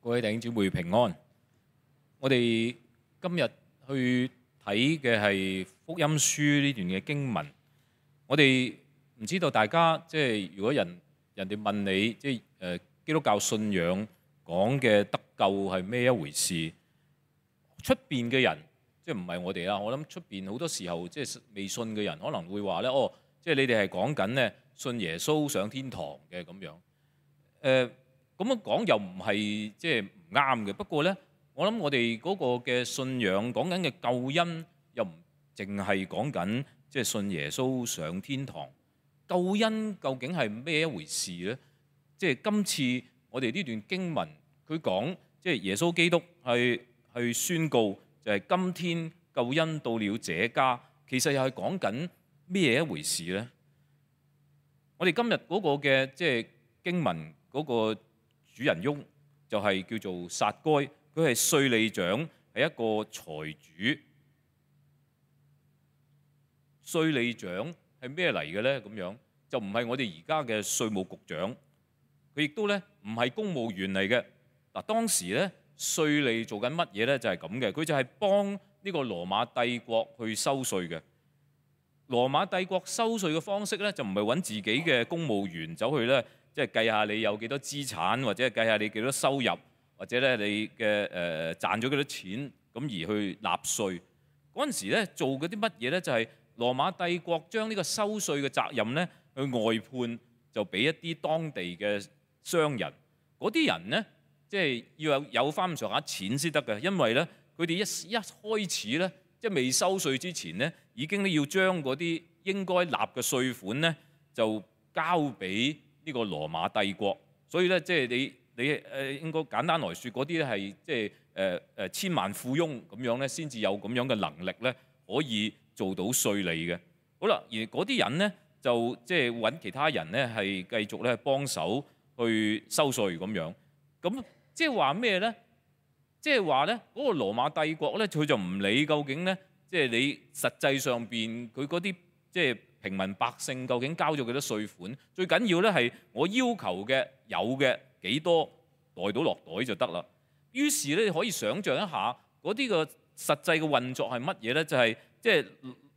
各位弟兄姊妹平安。我哋今日去睇嘅係福音書呢段嘅經文。我哋唔知道大家如果人哋問你基督教信仰講嘅得救係咩一回事？出邊嘅人唔係我哋啦。我諗出邊好多時候未信嘅人可能會話咧，你哋係講緊咧信耶穌上天堂嘅咁樣。咁樣講又唔係唔啱嘅。不過呢，我諗我哋嗰個嘅信仰講緊嘅救恩又唔淨係講緊信耶穌上天堂。救恩究竟係咩一回事呢？今次我哋呢段經文佢講耶穌基督係宣告就係今天救恩到了這家，其實又係講緊咩一回事呢？我哋今日嗰個嘅經文嗰個主人翁就係叫做撒該，佢係稅吏長，係一個財主。稅吏長係咩嚟嘅呢？咁樣就唔係我哋而家嘅稅務局長，佢亦都咧唔係公務員嚟嘅。嗱，當時咧稅吏做緊乜嘢咧？就係咁嘅，佢就係幫呢個羅馬帝國去收稅嘅。羅馬帝國收稅嘅方式咧，就唔係揾自己嘅公務員走去咧，計下你有幾多資產，或者計下你幾多收入，或者咧你嘅賺咗幾多錢，咁而去納稅。嗰陣時咧做嗰啲乜嘢咧？就係羅馬帝國將呢個收稅嘅責任咧去外判，就俾一啲當地嘅商人。嗰啲人咧要有翻咁上下錢先得嘅，因為咧佢哋一開始咧未收稅之前咧，已經要將嗰啲應該納嘅稅款咧就交俾呢個羅馬帝國。所以咧你應該簡單來説，嗰啲咧係千萬富翁咁樣咧，先至有咁樣嘅能力咧，可以做到稅吏嘅。好啦，而嗰啲人咧就揾其他人咧係繼續咧幫手去收稅咁樣。咁即係話咩咧？即係話咧嗰個羅馬帝國咧，佢就唔理究竟咧，你實際上邊佢嗰啲平民百姓究竟交咗幾多稅款？最緊要咧係我要求嘅有嘅幾多袋到落袋就得啦。於是咧你可以想像一下嗰啲個實際嘅運作係乜嘢咧？就係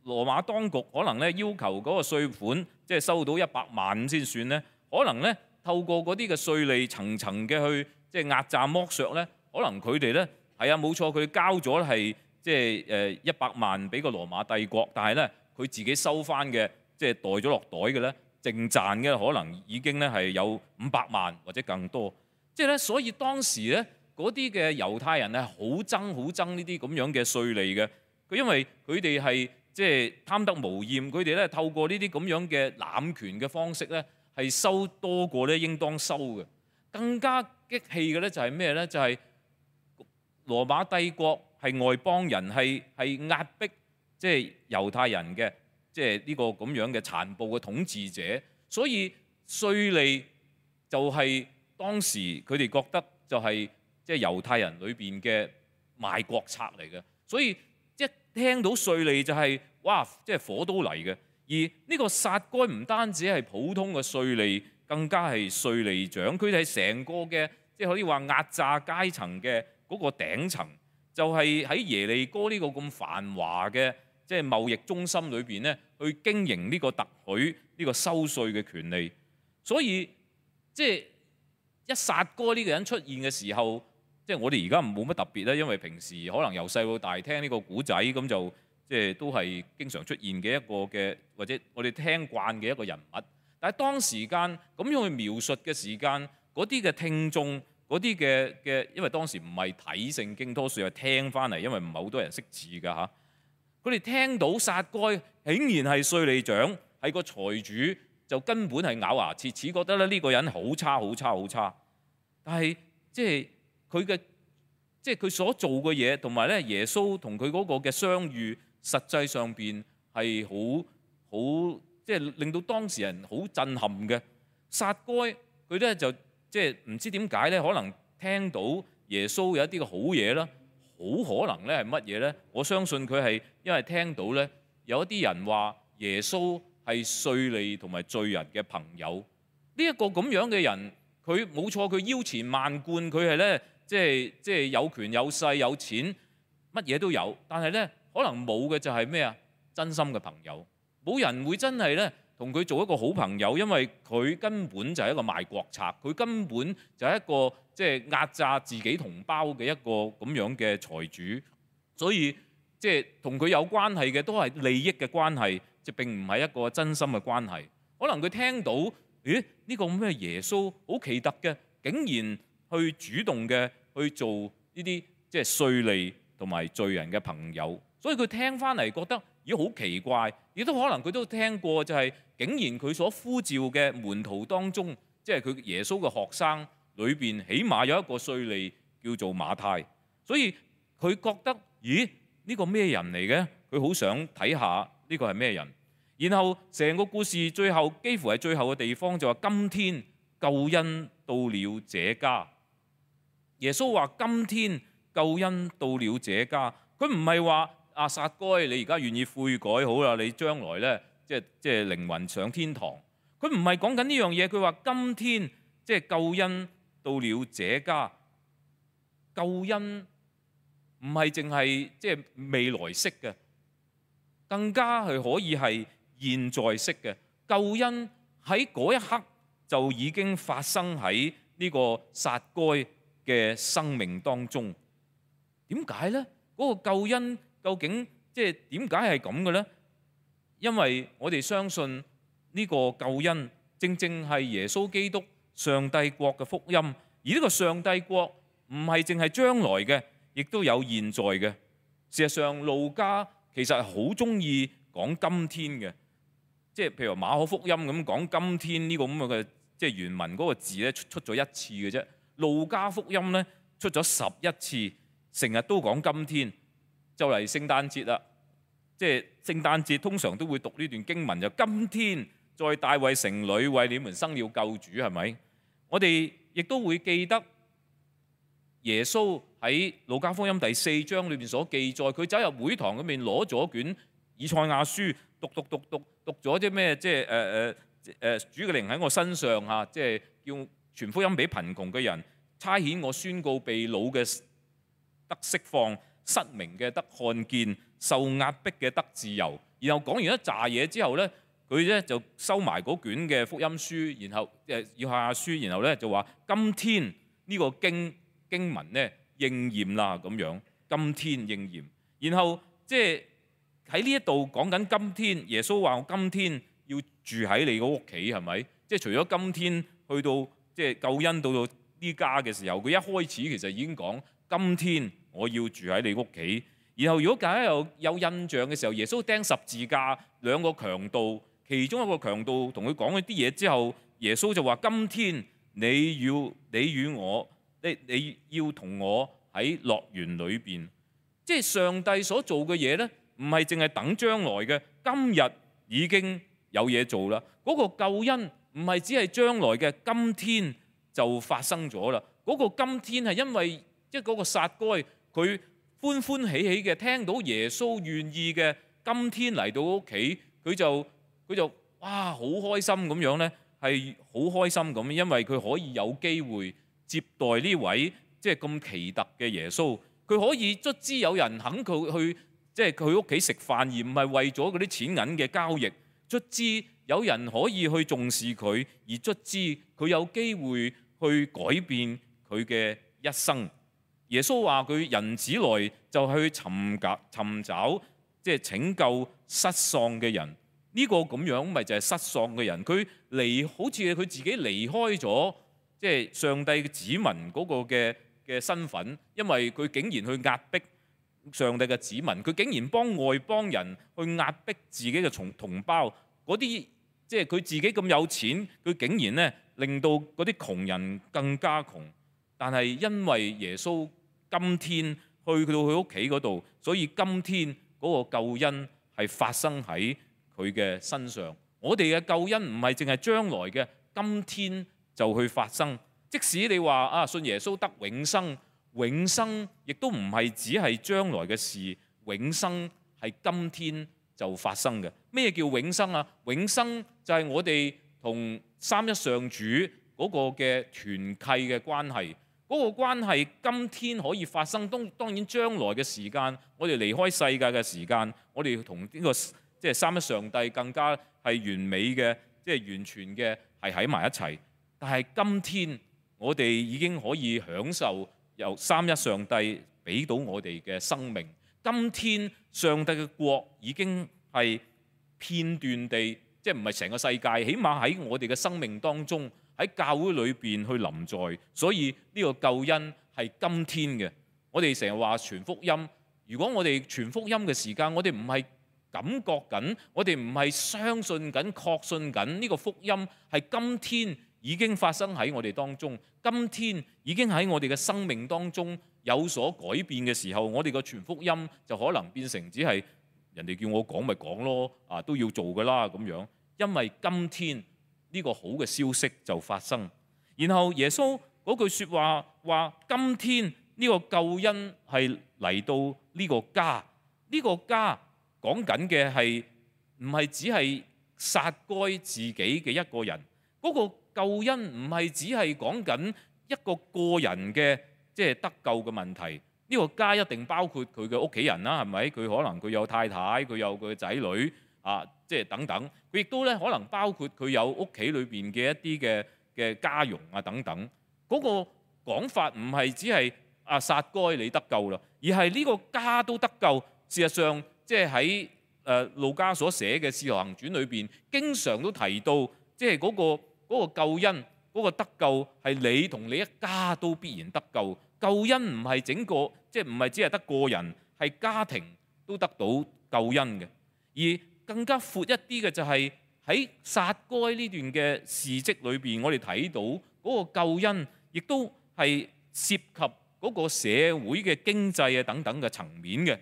羅馬當局可能咧要求嗰個稅款收到100萬先算咧，可能咧透過嗰啲嘅稅吏層層嘅去壓榨剝削咧，可能佢哋咧係啊冇錯，佢交咗係100萬俾個羅馬帝國，但係咧佢自己收翻嘅袋咗落袋嘅咧，淨賺嘅可能已經咧係有500萬或者更多。所以當時咧嗰啲嘅猶太人係好憎呢啲咁樣嘅稅吏嘅。佢因為佢哋係貪得無厭，佢哋咧透過呢啲咁樣嘅濫權嘅方式咧，係收多過咧應當收嘅。更加激氣嘅咧就係咩咧？就係羅馬帝國係外邦人，係壓迫猶太人嘅，呢個咁樣嘅殘暴嘅統治者。所以稅吏就係當時佢哋覺得就係猶太人裏邊嘅賣國賊嚟嘅。所以一聽到稅吏就係哇，火都嚟嘅。而呢個撒該唔單止係普通嘅稅吏，更加係稅吏長。佢哋係成個嘅可以話壓榨階層嘅嗰個頂層，就係喺耶利哥呢個咁繁華嘅貿易中心裏邊咧，去經營呢個特許呢個收稅嘅權利。所以一撒該呢個人出現嘅時候，我哋而家冇乜特別咧，因為平時可能由細到大聽呢個古仔，咁就都係經常出現嘅一個嘅，或者我哋聽慣嘅一個人物。但係當時間咁樣去描述嘅時間，嗰啲嘅聽眾，嗰啲嘅，因為當時唔係睇聖經，多數係聽翻嚟，因為唔係好多人識字㗎嚇。佢哋聽到撒該竟然係稅吏長，係個財主，就根本係咬牙切齒，覺得咧呢個人好差。但係佢嘅佢所做嘅嘢，同埋咧耶穌同佢嗰個嘅相遇，實際上邊係好令到當時人好震撼嘅。撒該佢咧就唔知點解咧，可能聽到耶穌有一啲嘅好嘢啦，好可能咧係乜嘢咧？我相信佢係因為聽到咧有一啲人話耶穌係稅吏同埋罪人嘅朋友。呢一個咁樣嘅人，佢冇錯，佢腰纏萬貫，佢係咧即係有權有勢有錢，乜嘢都有，但係咧可能冇嘅就係咩啊？真心嘅朋友，冇人會真係咧同佢做一個好朋友，因為佢根本就係一個賣國賊，佢根本就係一個即係壓榨自己同胞嘅一個咁樣嘅財主，所以即係同佢有關係嘅都係利益嘅關係，就並唔係一個真心嘅關係。可能佢聽到，咦？呢個咩耶穌好奇特嘅，竟然去主動嘅去做呢啲即係稅吏同埋罪人嘅朋友，所以佢聽翻嚟覺得咦好奇怪，亦都可能佢都聽過就係竟然佢所呼召嘅門徒當中，即係佢耶穌嘅學生裏邊，起碼有一個稅吏叫做馬太，所以佢覺得咦呢個咩人嚟嘅？佢好想睇下呢個係咩人。然後成個故事最後幾乎係最後嘅地方就話：今天救恩到了這家。耶穌話：今天救恩到了這家。佢唔係話啊撒該，你而家願意悔改好啦，你將來呢，即係靈魂上天堂。佢唔係講緊呢樣嘢。佢話今天即係救恩到了這家。救恩唔係淨係即係未來式嘅，更加係可以係現在式嘅。救恩喺嗰一刻就已經發生喺呢個撒該嘅生命當中。點解呢？嗰個救恩究竟即係點解係咁嘅呢？因為我哋相信呢個救恩正正係耶穌基督上帝國嘅福音，而呢個上帝國唔係淨係將來嘅，亦都有現在嘅。事實上，路加其實係好中意講今天嘅，即係譬如馬可福音咁講今天呢個咁嘅，即係原文嗰個字咧出咗一次嘅啫。路加福音咧出咗11次，成日都講今天。就嚟聖誕節啦，即係聖誕節通常都會讀呢段經文，就今天在大衛城裏為你們生了救主，係咪？我哋亦都會記得耶穌喺路加福音第4章裏邊所記載，佢走入會堂嗰邊攞咗卷以賽亞書，讀咗啲咩？即係主嘅靈喺我身上嚇，即係叫傳福音俾貧窮嘅人，差遣我宣告被擄嘅得釋放，失明嘅得看見，受壓迫嘅得自由。然後講完一紮嘢之後咧，佢咧就收埋嗰卷嘅福音書，然後以賽亞書，然後咧就話今天呢個經文咧應驗啦咁樣，今天應驗。然後即係喺呢一度講緊今天，耶穌話我今天要住喺你個屋企，係咪？即係除咗今天去到即係救恩到呢家嘅時候，佢一開始其實已經講今天我要住喺你屋企。然後如果大家有印象嘅時候，耶穌釘十字架，兩個強盜，其中一個強盜同佢講一啲嘢之後，耶穌就話：今天你要同我喺樂園裏邊。即係上帝所做嘅嘢呢，唔係淨係等將來嘅，今日已經有嘢做啦。嗰個救恩唔係只係將來嘅，今天就發生咗啦。嗰個今天係因為即係嗰個撒該佢歡歡喜喜嘅聽到耶穌願意嘅今天嚟到屋企，佢就哇好開心咁樣呢，係好開心咁，因為佢可以有機會接待呢位即係咁奇特嘅耶穌。佢可以卒之有人肯佢去即係佢屋企食飯，而唔係為咗嗰啲錢銀嘅交易。卒之有人可以去重視佢，而卒之佢有機會去改變佢嘅一生。耶穌話佢人子來就去尋找即係拯救失喪嘅人。呢個咁樣咪就係失喪嘅人。佢好似佢自己離開咗即係上帝嘅子民嗰個嘅身份，因為佢竟然去壓迫上帝嘅子民，佢竟然幫外邦人去壓迫自己嘅同胞。嗰啲即係佢自己咁有錢，佢竟然呢令到嗰啲窮人更加窮。但係因為耶穌今天去到佢屋企嗰度，所以今天嗰個救恩係發生喺佢嘅身上。我哋嘅救恩唔係淨係將來嘅，今天就去發生。即使你話啊信耶穌得永生，永生亦都唔係只係將來嘅事，永生係今天就發生嘅。咩叫永生啊？永生就係我哋同三一上主嗰個嘅團契嘅關係。嗰嗰個關係今天可以發生，當然將來嘅時間，我哋離開世界嘅時間，我哋同呢個即係三一上帝更加係完美嘅，即係完全嘅係喺埋一齊。但係今天我哋已經可以享受由三一上帝俾到我哋嘅生命。今天上帝嘅國已經係片段地，即係唔係成個世界，起碼喺我哋嘅生命當中，喺教會裏邊去臨在。所以呢個救恩係今天嘅。我哋成日話傳福音，如果我哋傳福音嘅時間，我哋唔係感覺緊，我哋唔係相信緊、確信緊呢個福音係今天已經發生喺我哋當中，今天已經喺我哋嘅生命當中有所改變嘅時候，我哋個傳福音就可能變成只係人哋叫我講咪講咯，都要做㗎啦咁樣。因為今天呢個好嘅消息就發生，然後耶穌嗰句説話話：今天呢個救恩係嚟到呢個家，呢個家講緊嘅係唔係只係撒該自己嘅一個人？嗰個救恩唔係只係講緊一個個人嘅即係得救嘅問題。呢個家一定包括佢嘅屋企人啦，係咪？佢可能佢有太太，佢有佢嘅仔女即係等等。佢亦都咧可能包括佢有屋企裏邊嘅一啲嘅家傭等等。嗰個講法唔係只係撒該你得救啦，而係呢個家都得救。事實上，即係喺路加所寫嘅《使徒行傳》裏邊，經常都提到，即係嗰個救恩，嗰個得救係你同你一家都必然得救。救恩唔係整個，即係唔係只係得個人，係家庭都得到救恩嘅。而更加闊一啲嘅就係喺撒該呢段嘅事蹟裏邊，我哋睇到嗰個救恩，亦都係涉及嗰個社會嘅經濟等等嘅層面嘅。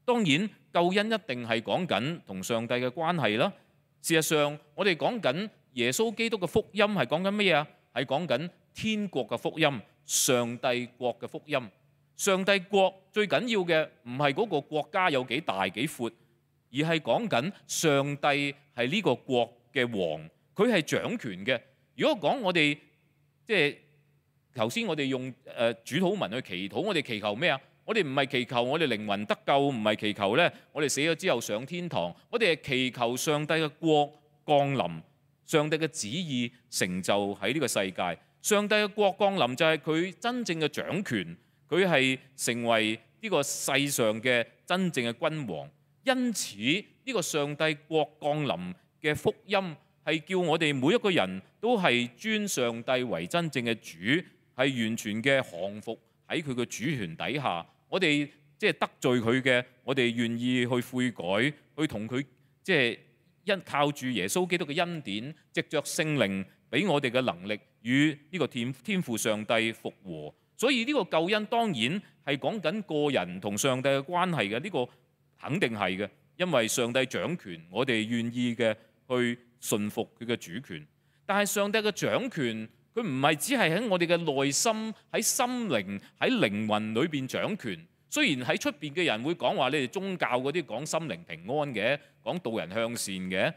當然，救恩一定係講緊同上帝嘅關係啦。事實上，我哋講緊耶穌基督嘅福音係講緊乜嘢啊？係講緊天國嘅福音。上帝國嘅福音，上帝國最緊要嘅唔係嗰個國家有幾大幾闊，而係講緊上帝係呢個國嘅王，佢係掌權嘅。如果講我哋即係頭先我哋用主禱文去祈禱，我哋祈求咩啊？我哋唔係祈求我哋靈魂得救，唔係祈求咧我哋死咗之後上天堂，我哋係祈求上帝嘅國降臨，上帝嘅旨意成就喺呢個世界。上帝嘅國降臨就係佢真正嘅掌權，佢係成為呢個世上嘅真正嘅君王。因此呢個上帝國降臨嘅福音係叫我哋每一個人都係尊上帝為真正嘅主，係完全嘅降服喺佢嘅主權底下。我哋即係得罪佢嘅，我哋願意去悔改，去同佢即係靠住耶穌基督嘅恩典，藉着聖靈俾我哋嘅能力，與呢個天父上帝復和。所以呢個救恩當然係講緊個人同上帝嘅關係嘅，呢個肯定係嘅，因為上帝掌權，我哋願意嘅去順服佢嘅主權。但係上帝嘅掌權，佢唔係只係喺我哋嘅內心、喺心靈、喺靈魂裏邊掌權。雖然喺出邊嘅人會講話，你哋宗教嗰啲講心靈平安嘅，講導人向善嘅，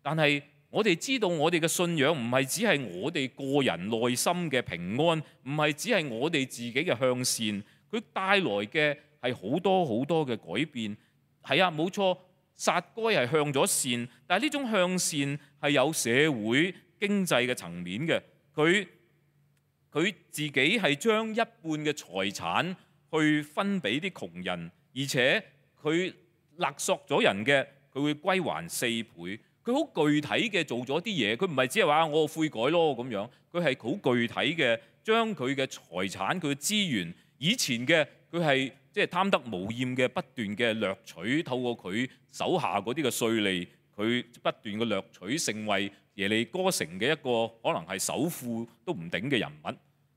但係我哋知道我哋嘅信仰唔係只係我哋個人內心嘅平安，唔係只係我哋自己嘅向善，佢帶來嘅係好多好多嘅改變。係啊，冇錯，撒該係向咗善，但係呢種向善係有社會經濟嘅層面嘅。佢自己係將一半嘅財產去分俾啲窮人，而且佢勒索咗人嘅，佢會歸還4倍。佢好具體嘅做咗啲嘢，佢唔係只係話我悔改咯咁樣，佢係好具體嘅將佢嘅財產、佢嘅資源，以前嘅佢係即係貪得無厭嘅不斷嘅掠取，透過佢手下嗰啲嘅稅吏，佢不斷嘅掠取，成為耶利哥城嘅一個可能係首富都唔頂嘅人物。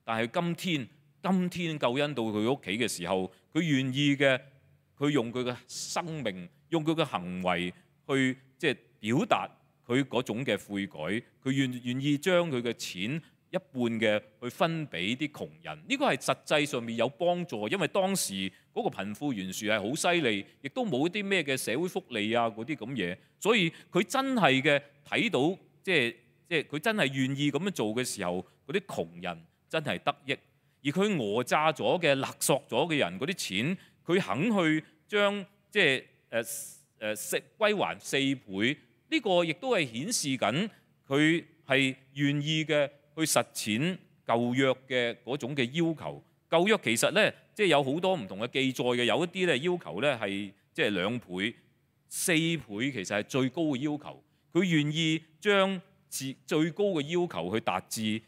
但係今天救恩到佢屋企嘅時候，佢願意嘅，佢用佢嘅生命，用佢嘅行為去即係表達佢嗰種嘅悔改，佢願意將佢嘅錢一半嘅去分俾啲窮人。呢個係實際上面有幫助，因為當時嗰個貧富懸殊係好犀利，亦都冇啲咩嘅社會福利嗰啲咁嘢，所以佢真係嘅睇到，即係佢真係願意咁樣做嘅時候，嗰啲窮人真係得益。而佢訛詐咗嘅、勒索咗嘅人嗰啲錢，佢肯去將即係歸還4倍，呢個亦都係顯示緊佢係願意嘅去實踐舊約嘅嗰種嘅要求。舊約其實咧，即係有好多唔同嘅記載嘅，有一啲咧要求咧係即係2倍、4倍，其實係最高嘅要求。佢願意將最高嘅要求去達至，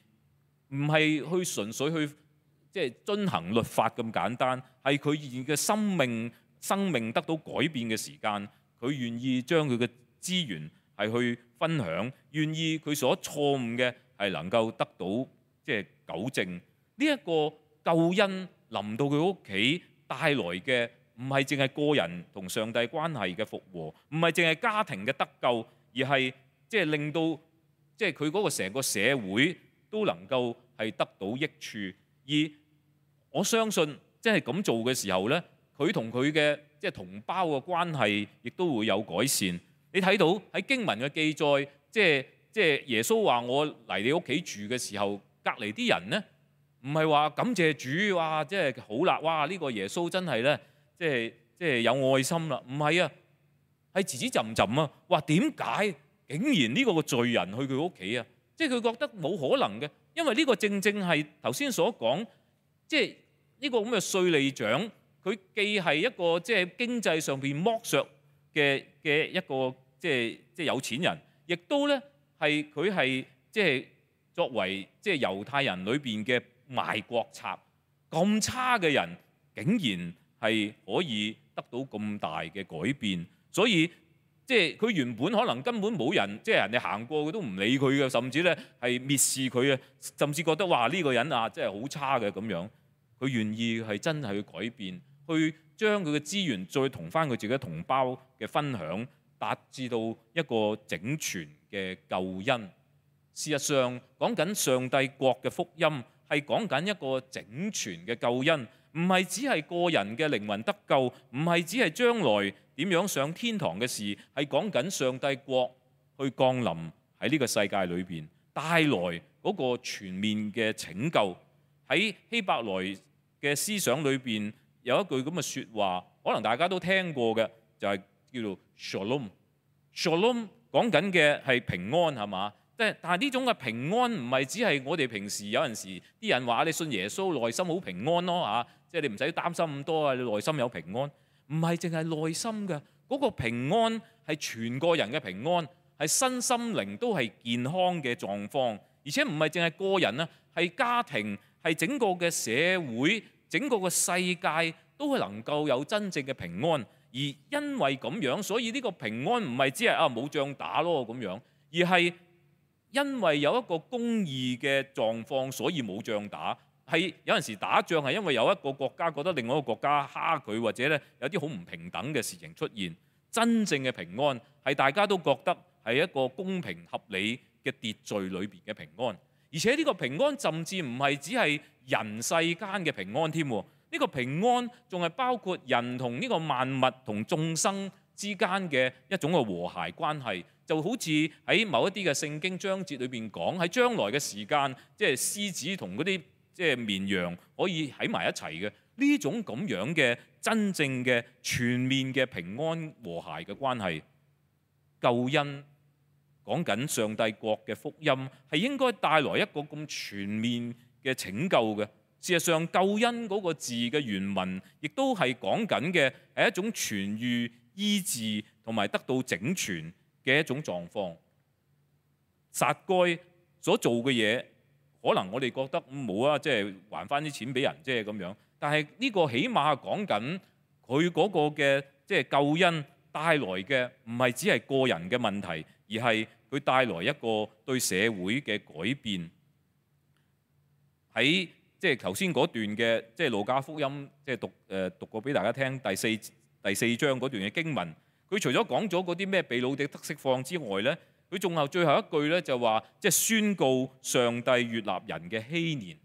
唔係去純粹去即係遵行律法咁簡單，係佢現嘅生命得到改變嘅時間，佢願意將佢嘅資源係去分享，願意佢所錯誤嘅係能夠得到即係糾正。呢一個救恩臨到佢屋企帶來嘅，唔係淨係個人同上帝關係嘅復和，唔係淨係家庭嘅得救，而係即係令到即係佢嗰個成個社會都能夠係得到益處。而我相信即係咁做嘅時候呢，佢同佢嘅即係同胞嘅關係亦都會有改善。你睇到喺經文嘅記載，即係耶穌話我嚟你屋企住嘅時候，隔離啲人呢，唔係話感謝主，哇！即係好啦，哇！呢個耶穌真係咧，即係有愛心啦。唔係啊，係吱吱浸浸啊。話點解竟然呢個罪人去佢屋企啊？即係佢覺得冇可能嘅，因為呢個正正係頭先所講，即係呢個咁嘅稅吏長，佢既係一個即係經濟上邊剝削嘅一個即係有錢人，亦都咧係佢係即係作為即係猶太人裏邊嘅賣國賊，咁差嘅人竟然係可以得到咁大嘅改變，所以即係佢原本可能根本冇人，即係人哋行過佢都唔理佢嘅，甚至咧係蔑視佢啊，甚至覺得哇呢個人啊真係好差嘅咁樣。佢願意係真係去改變，去將佢嘅資源再同翻佢自己同胞嘅分享，達至到一個整全嘅救恩。事實上講緊上帝國嘅福音，係講緊一個整全嘅救恩，唔係只係個人嘅靈魂得救，唔係只係將來點樣上天堂嘅事，係講緊上帝國去降臨喺呢個世界裏邊，帶來嗰個全面嘅拯救。喺希伯來嘅思想裏邊有一句咁嘅説話，可能大家都聽過嘅，就係叫做 Shalom。Shalom 講緊嘅係平安，係嘛？但係呢種嘅平安唔係只係我哋平時有陣時啲人話你信耶穌內心好平安咯嚇，即係你唔使擔心咁多啊，你內心有平安。唔係淨係內心嘅嗰個平安，係全個人嘅平安，係身心靈都係健康嘅狀況，而且唔係淨係個人啊，係家庭，係整個嘅社會，整個嘅世界都係能夠有真正嘅平安。而因為咁樣，所以呢個平安唔係只係冇仗打咯咁樣，而係因為有一個公義嘅狀況，所以冇仗打。係有陣時打仗係因為有一個國家覺得另外一個國家蝦佢，或者咧有啲好唔平等嘅事情出現。真正嘅平安係大家都覺得係一個公平合理嘅秩序裏邊嘅平安，而且呢個平安甚至唔係只係人世間嘅平安添。呢個平安仲係包括人同呢個萬物同眾生之間嘅一種嘅和諧關係。就好似喺某一啲嘅聖經章節裏邊講，喺將來嘅時間，即係獅子同嗰啲即係綿羊可以喺埋一齊嘅呢種咁樣嘅真正嘅全面嘅平安和諧嘅關係。救恩講緊上帝國嘅福音，係應該帶來一個咁全面嘅拯救嘅。事實上，救恩嗰個字嘅原文，亦都係講緊嘅係一種痊癒、醫治同埋得到整全嘅一種狀況。撒該所做嘅嘢，可能我哋覺得冇啊，即係還翻啲錢俾人啫咁樣。但係呢個起碼係講緊佢嗰個嘅即係救恩帶來嘅，唔係只係個人嘅問題，而係佢帶來一個對社會嘅改變。喺即係頭先嗰段嘅即係路加福音，即係讀過俾大家聽第四章嗰段嘅經文。佢除咗講咗嗰啲咩被擄的得釋放之外咧，佢仲有最後一句咧就話，即係宣告上帝悅納人嘅禧年。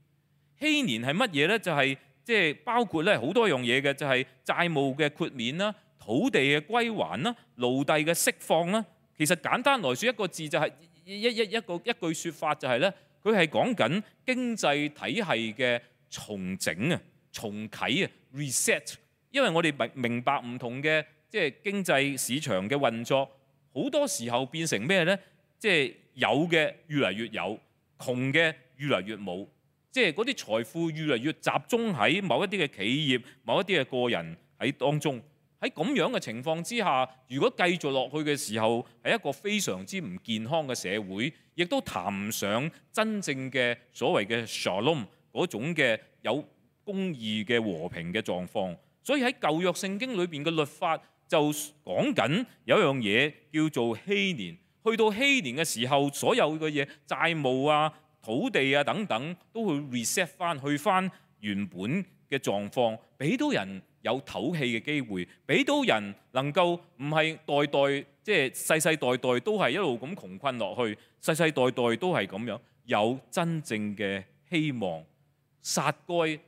禧年係乜嘢咧？就係即係包括咧好多樣嘢嘅，就係債務嘅豁免啦、土地嘅歸還啦、奴隸嘅釋放啦。其實簡單來說，一個字就係一句説法就係咧，佢係講緊經濟體系嘅重整啊、重啟啊、reset。因為我哋明白唔同嘅即係經濟市場嘅運作，好多時候變成咩呢？即係有嘅越嚟越有，窮嘅越嚟越冇。即係嗰啲財富越嚟越集中喺某一啲嘅企業、某一啲嘅個人喺當中。喺咁樣嘅情況之下，如果繼續落去嘅時候，係一個非常之唔健康嘅社會，亦都談唔上真正嘅所謂嘅 shalom 嗰種嘅有公義嘅和平嘅狀況。所以喺舊約聖經裏邊嘅律法就講緊有一樣嘢叫做禧年。去到禧年嘅時候，所有嘅嘢債務啊、土地啊等等，都會 reset 翻去翻原本嘅狀況，俾到人有唞氣嘅機會，俾到人能夠唔係代代即係世世代代都係一路咁窮困落去，世世代代都係咁樣，有真正嘅希望。撒該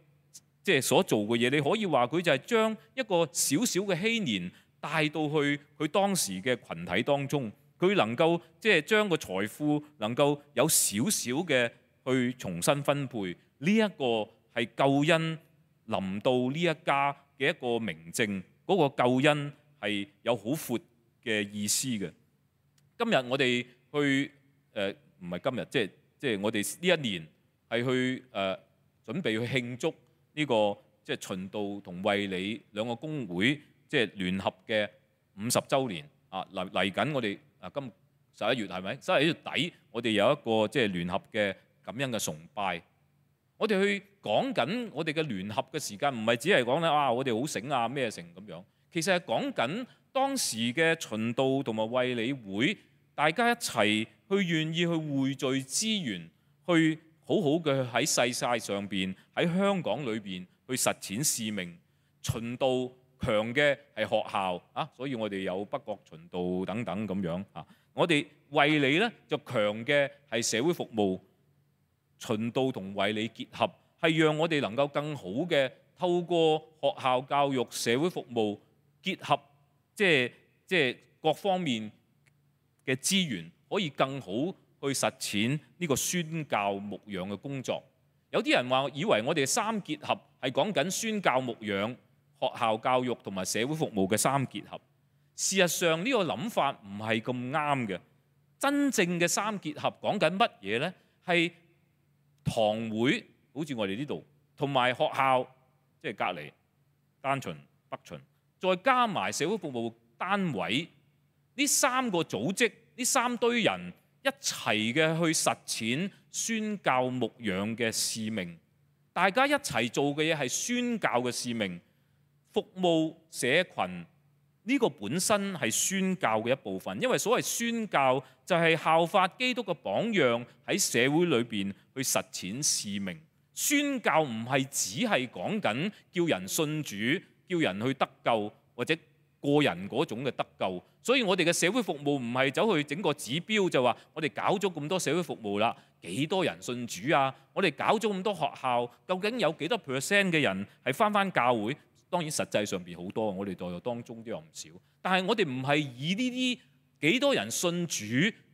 即係所做嘅嘢，你可以話佢就係將一個小小嘅禧年帶到去佢當時嘅群體當中。佢能夠即係將個財富能夠有少少嘅去重新分配，呢一個係救恩臨到呢一家嘅一個明證。嗰個救恩係有好闊嘅意思嘅。今日我哋去唔係今日，即係我哋呢一年係去準備去慶祝呢個即係循道同衛理兩個公會即係聯合嘅50週年啊！嚟緊我哋。今11月係咪？11月底，我哋有一個即係聯合嘅感恩嘅崇拜。我哋去講緊我哋嘅聯合嘅時間，唔係只係講咧我哋好醒啊咩成咁樣。其實係講緊當時嘅循道同埋衛理會，大家一齊去願意去匯聚資源，去好好嘅喺世界上邊喺香港裏邊去實踐使命。循道強嘅係學校啊，所以我哋有北角循道等等咁樣啊。我哋衛理咧就強嘅係社會服務，循道同衛理結合，係讓我哋能夠更好嘅透過學校教育、社會服務結合，即係各方面嘅資源，可以更好去實踐呢個宣教牧養嘅工作。有啲人話以為我哋三結合係講緊宣教牧養、學校教育同埋社會服務嘅三結合，事實上呢個諗法唔係咁啱嘅。真正嘅三結合講緊乜嘢呢？係堂會，好似我哋呢度，同埋學校，即係隔離單循、北循，再加埋社會服務單位，呢三個組織，呢三堆人一齊嘅去實踐宣教牧養嘅使命。大家一齊做嘅嘢係宣教嘅使命。服務社群呢個本身係宣教嘅一部分，因為所謂宣教就係效法基督嘅榜樣，喺社會裏邊去實踐使命。宣教唔係只係講緊叫人信主、叫人去得救或者個人嗰種嘅得救。所以我哋嘅社會服務唔係走去整個指標就話我哋搞咗咁多社會服務啦，幾多人信主啊？我哋搞咗咁多學校，究竟有幾多 percent 嘅人係返教會？當然實際上邊好多，我哋在座當中都有唔少。但係我哋唔係以呢啲幾多人信主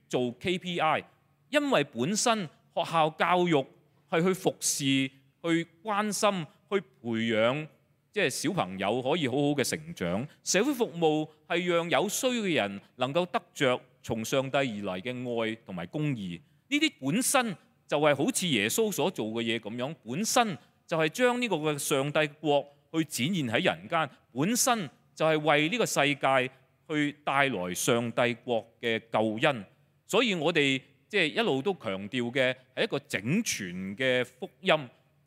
做 KPI， 因為本身學校教育係去服侍、去關心、去培養，即係小朋友可以好好嘅成長。社會服務係讓有需要嘅人能夠得着從上帝而嚟嘅愛同埋公義。呢啲本身就係好似耶穌所做嘅嘢咁樣，本身就係將呢個嘅上帝國去展現喺人間，本身就係為呢個世界去帶來上帝國嘅救恩。所以我哋即係一路都強調嘅係一個整全嘅福音、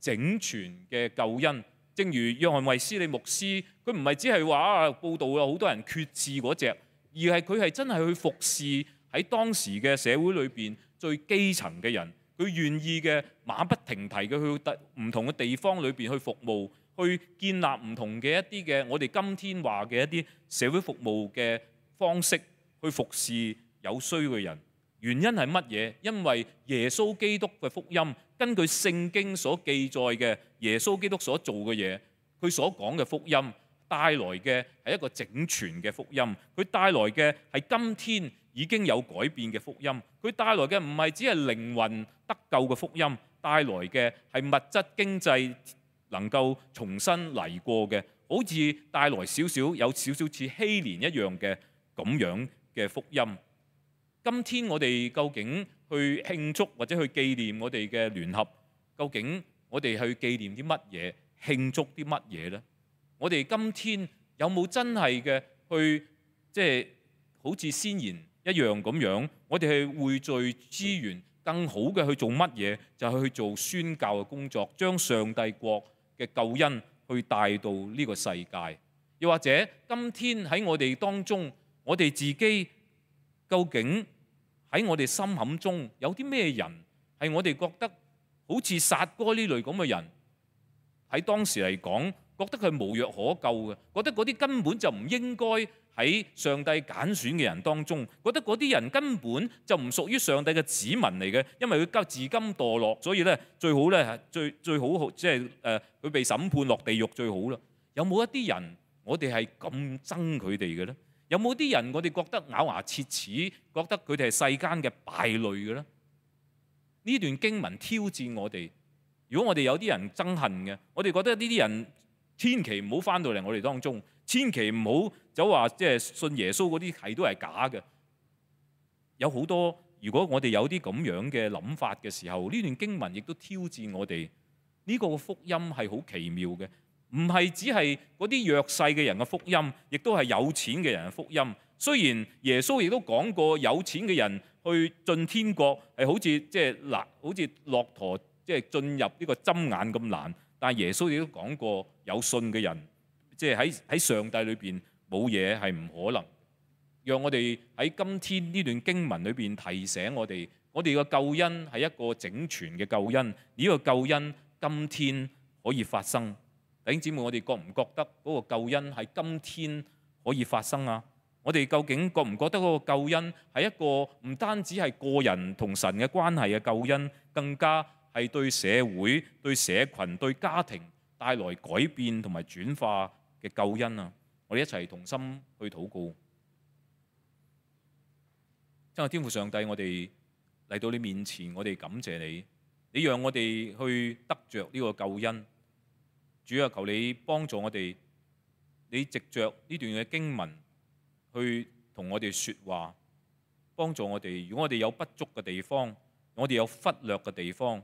整全嘅救恩。正如約翰衛斯理牧師，佢唔係只係話報道有好多人決志嗰隻，而係佢係真係去服侍喺當時嘅社會裏邊最基層嘅人。佢願意嘅馬不停蹄嘅去唔同嘅地方裏邊去服務，去建立唔同嘅一啲嘅我哋今天話嘅一啲社會服務嘅方式，去服侍有需要嘅人。原因係乜嘢？因為耶穌基督嘅福音，根據聖經所記載嘅耶穌基督所做嘅嘢，佢所講嘅福音帶來嘅係一個整全嘅福音。佢帶來嘅係今天已經有改變嘅福音。佢帶來嘅唔係只係靈魂得救嘅福音，帶帶來嘅係物質經濟能夠重新嚟過嘅，好似帶來有少少似希年一樣嘅咁樣嘅福音。今天我哋究竟去慶祝或者去紀念我哋嘅聯合，究竟我哋去紀念啲乜嘢，慶祝啲乜嘢呢？我哋今天有冇真係嘅去即係好似先賢一樣咁樣，我哋係匯聚資源，更好嘅去做乜嘢？就係去做宣教嘅工作，將上帝國嘅救恩去帶到呢個世界。又或者今天喺我哋當中，我哋自己究竟喺我哋心坎中有啲咩人係我哋覺得好似撒該呢類咁嘅人，喺當時嚟講覺得佢無藥可救嘅，覺得嗰啲根本就唔應該喺上帝揀選嘅人當中，覺得嗰啲人根本就唔屬於上帝嘅子民嚟嘅，因為佢自甘墮落，所以咧最好咧最好即係佢被審判落地獄最好啦。有冇一啲人我哋係咁憎佢哋嘅咧？有冇啲人我哋覺得咬牙切齒，覺得佢哋係世間嘅敗類嘅咧？呢段經文挑戰我哋，如果我哋有啲人憎恨嘅，我哋覺得呢啲人千祈唔好翻到嚟我哋當中，千祈唔好就話即係信耶穌嗰啲係都係假嘅。有好多，如果我哋有啲咁樣嘅諗法嘅時候，呢段經文亦都挑戰我哋。呢個福音係好奇妙嘅，唔係只係嗰啲弱勢嘅人嘅福音，亦都係有錢嘅人嘅福音。雖然耶穌亦都講過有錢嘅人去進天國係好似即係嗱，好似駱駝即係進入呢個針眼咁難，但係耶穌亦都講過有信嘅人，即係喺上帝裏邊冇嘢係唔可能。讓我哋喺今天呢段經文裏邊提醒我哋，我哋嘅救恩係一個整全嘅救恩。呢個救恩今天可以發生。弟兄姊妹，我哋覺唔覺得嗰個救恩喺今天可以發生啊？我哋究竟覺唔覺得嗰個救恩係一個唔單止係個人同神嘅關係嘅救恩，更加係對社會、對社群、對家庭帶來改變同埋轉化嘅救恩啊！我哋一齊同心去禱告。真係天父上帝，我哋嚟到你面前，我哋感謝你，你讓我哋去得着呢個救恩。主啊，求你幫助我哋，你藉着呢段嘅經文去同我哋說話，幫助我哋。如果我哋有不足嘅地方，我哋有忽略嘅地方，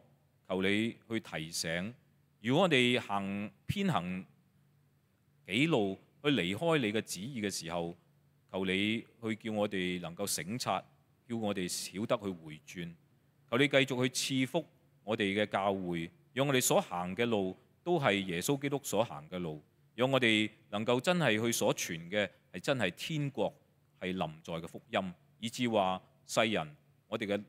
求你去提醒。如果我哋偏行己路，去離開你嘅旨意嘅時候，求你去叫我哋能夠省察，叫我哋曉得去回轉。求你繼續去賜福我哋嘅教會，讓我哋所行嘅路都係耶穌基督所行嘅路，讓我哋能夠真係去所傳嘅係真係天國係臨在嘅福音，以至話世人我哋嘅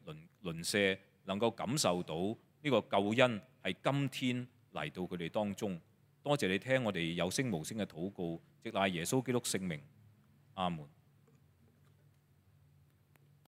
鄰舍能夠感受到呢個救恩係今天嚟到佢哋當中。多謝你聽我哋有聲無聲嘅禱告，藉賴耶穌基督聖名，阿門。